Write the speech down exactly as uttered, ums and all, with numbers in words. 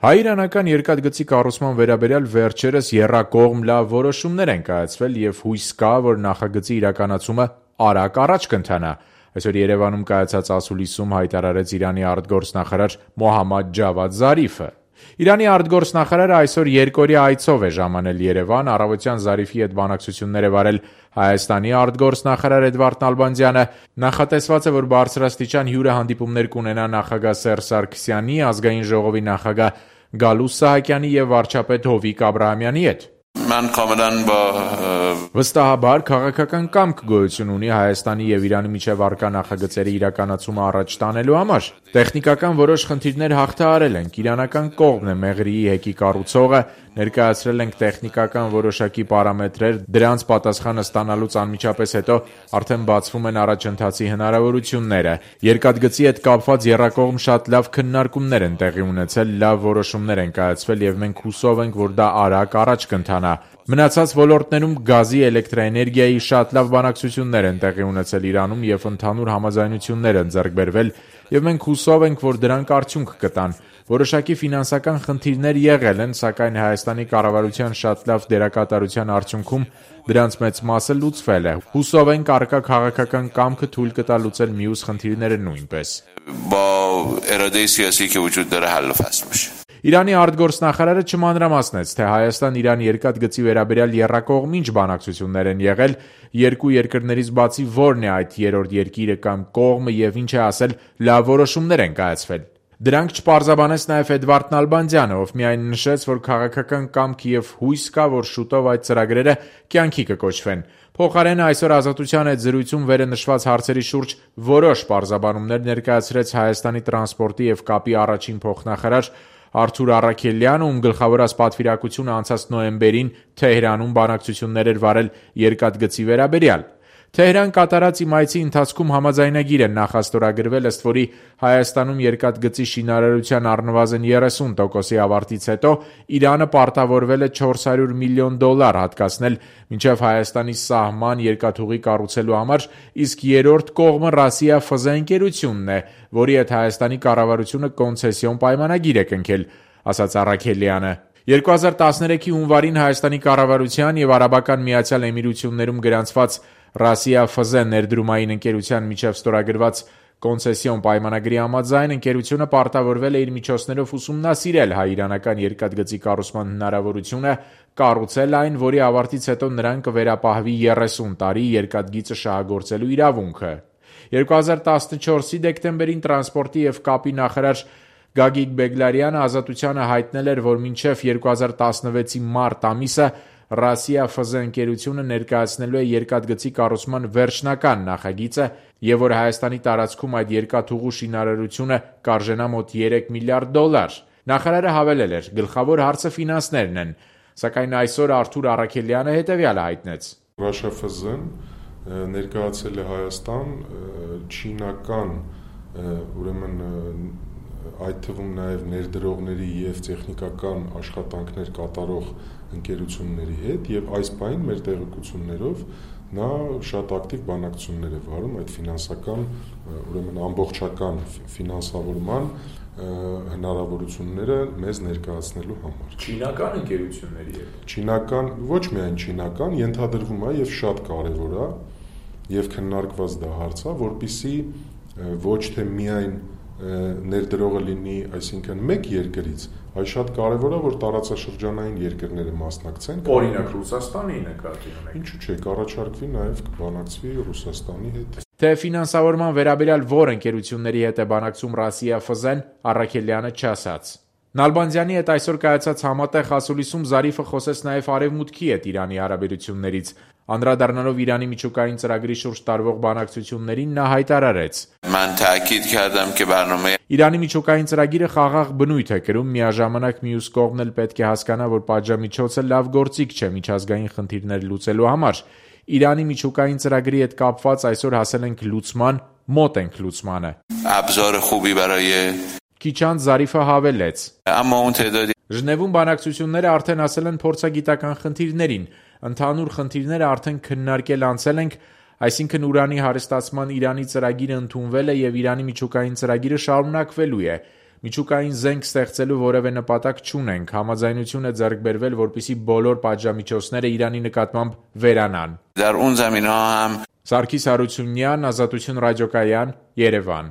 Հայ-իրանական երկաթգծի կառուցման վերաբերյալ վերջերս եռակողմ լավ որոշումներ են կայացվել և հույս կա, որ նախագծի իրականացումը արագ առաջ կընթանա։ Այսօր Երևանում կայացած ասուլիսում հայտարարեց Իրանի արտգործնախարար Մոհամմադ Ջավադ Զարիֆը։ Իրանի արտգործնախարարը այսօր երկօրյա այցով է ժամանել Երևան, առավոտյան Զարիֆի հետ բանակցություններ է վարել Հայաստանի արտգործնախարար Էդվարդ Նալբանդյանը։ Նախատեսված է, որ բարձրաստիճան հյուրահանդիպումներ կունենա նախագահ Սերժ Սարգսյանի, Ազգային ժողովի նախագահ Գալուստ Սահակյանի և վարչապետ Հովիկ Աբրահամյանի հետ։ Վստահաբար քաղաքական կամք գոյություն ունի Հայաստանի և Իրանի միջև առկա նախագծերի իրականացումը առաջ տանելու համար։ Տեխնիկական որոշ խնդիրներ հաղթահարել ենք, իրանական կողմն է Մեղրիի հեկի կառուցողը, ներկայացրել ենք տեխնիկական որոշակի պարամետրեր, դրանց պատասխանը ստանալուց անմիջապես հետո արդեն բացվում են առաջընթացի հնարավորությունները։ Երկաթգծի հետ կապված եռակողմ շատ լավ քննարկումներ են տեղի ունեցել, լավ որոշումներ են կայացվել և մենք հուսով ենք, որ դա արագ առաջ կընթանա։ Մնացած ոլորտներում գազի, էլեկտրաէներգիայի շատ լավ բանակցություններ են տեղի ունեցել Իրանում և ընդհանուր համաձայնություններ են ձեռք բերվել, և մենք հուսով ենք, որ դրանք արդյունք կտան։ Որոշակի ֆինանսական խնդիրներ եղել են, սակայն Հայաստանի կառավարության շատ լավ դերակատարության արդյունքում դրանց մեծ մասը լուծվել է։ Հուսով ենք առկա քաղաքական կամքը թույլ կտա լուծել մյուս խնդիրները նույնպես։ Իրանի արտգործնախարարը չմանրամասնեց, թե Հայաստան-Իրան երկաթգծի վերաբերյալ եռակողմ ինչ բանակցություններ են եղել, երկու երկրներից բացի որն է այդ երրորդ երկիրը կամ կողմը և ինչ է ասել լավ որոշումներ են կայացվել։ Դրանք չպարզաբանեց նաև Էդվարդ Նալբանդյանը, ով միայն նշեց, որ քաղաքական կամք և հույս կա, որ շուտով այդ ծրագրերը կյանքի կկոչվեն։ Փոխարենը այսօր Ազատության հետ զրույցում վերը նշված հարցերի շուրջ որոշ պարզաբանումներ ներկայացրեց Հայաստանի տրանսպորտի և կապի առաջին փոխնախարար Արթուր Առաքելյանը, ում գլխավորած պատվիրակությունը անցած նոյեմբերին Թեհրանում բանակցություններ էր վարել երկաթգծի վերաբերյալ։ Թեհրան կատարած իմ այցի ընթացքում համաձայնագիր է նախաստորագրվել, ըստ որի Հայաստանում երկաթգծի շինարարության առնվազն երեսուն տոկոսի ավարտից հետո Իրանը պարտավորվել է չորս հարյուր միլիոն դոլար հատկացնել մինչև Հայաստանի սահման երկաթուղի կառուցելու համար, իսկ երրորդ կողմը Ռասիա Ֆ Զ ընկերությունն է, որի հետ Հայաստանի կառավարությունը կոնցեսիոն պայմանագիր է կնքել, ասաց Առաքելյանը։ երկու հազար տասներեքի հունվարին Հայաստանի կառավարության և Արաբական Միացյալ Էմիրություններում գրանցված Ռասիա Ֆ Զ ներդրումային ընկերության միջև ստորագրված կոնցեսիոն պայմանագրի համաձայն ընկերությունը պարտավորվել է իր միջոցներով ուսումնասիրել հայ-իրանական երկաթգծի կառուցման հնարավորությունը, կառուցել այն, որի ավարտից հետո նրան կվերապահվի երեսուն տարի երկաթգիծը շահագործելու իրավունքը։ երկու հազար տասնչորսի դեկտեմբերին տրանսպորտի և կապի նախարար Գագիկ Բեգլարյանը Ազատությանը հայտնել էր, որ մինչև երկու հազար տասնվեցի մարտ ամիսը Ռասիա Ֆ Զ ընկերությունը ներկայացնելու է երկաթգծի կառուցման վերջնական նախագիծը և որ Հայաստանի տարածքում այդ երկաթուղու շինարարությունը կարժենա մոտ երեք միլիարդ դոլար։ Նախարարը հավելել էր. գլխավոր հարցը ֆինանսներն են, սակայն այսօր Արթուր Առաքելյանը հետևյալը հայտնեց. Ռասիա Ֆ Զ-ն ներկայացել է Հայաստան չինական, ուրեմն այդ թվում նաև ներդրողների և տեխնիկական աշխատանքներ կատարող ընկերությունների հետ և այս պահին մեր տեղեկություններով նա շատ ակտիվ բանակցություններ է վարում այդ ֆինանսական, ուրեմն ամբողջական ֆինանսավորման հնարավորությունները մեզ ներկայացնելու համար։ Չինական ընկերությունների հետ։ Չինական, ոչ միայն չինական, ենթադրվում է և շատ կարևոր է և քննարկված դա հարց է, որպեսզի ոչ թե միայն ներդրողը լինի, այսինքն մեկ երկրից, այլ շատ կարևոր է, որ տարածաշրջանային երկրները մասնակցեն։ Օրինակ Ռուսաստանի նկատի ունենք։ Ինչու՞ չէ, կառաջարկվի նաև կբանակցվի Ռուսաստանի հետ։ Թե ֆինանսավորման վերաբերյալ որ ընկերությունների հետ է բանակցում Ռասիա Ֆ Զ-ն, Առաքելյանը չասաց։ Նալբանդյանի հետ այսօր կայացած համատեղ ասուլիսում Զարիֆը խոսեց նաև Արևմուտքի հետ Իրանի հարաբերություններից։ Անդրադառնալով Իրանի միջուկային ծրագրի շուրջ տարվող բանակցություններին նա հայտարարեց. Իրանի միջուկային ծրագիրը խաղաղ բնույթ է կրում, միաժամանակ մյուս կողմն էլ պետք է հասկանա, որ պատժամիջոցը լավ գործիք չէ միջազգային խնդիրներ լուծելու համար։ Իրանի միջուկային ծրագրի հետ կապված այսօր հասել ենք լուծման, մոտ ենք լուծմանը։ Քիչ անց Զարիֆը հավելեց. Ժնևում բանակցությունները արդեն հասել են փորձագիտական խնդիրներին, ընդհանուր խնդիրները արդեն քննարկել անցել ենք, այսինքն ուրանի հարստացման Իրանի ծրագիրը ընդունվել է և Իրանի միջուկային ծրագիրը շարունակվելու է։ Միջուկային զենք ստեղծելու որևէ նպատակ չունենք, համաձայնություն է ձեռք բերվել, որպեսզի բոլոր պատժամիջոցները Իրանի նկատմամբ վերանան։ Սարգիս Հարությունյան, Ազատություն ռադիոկայան, Երևան։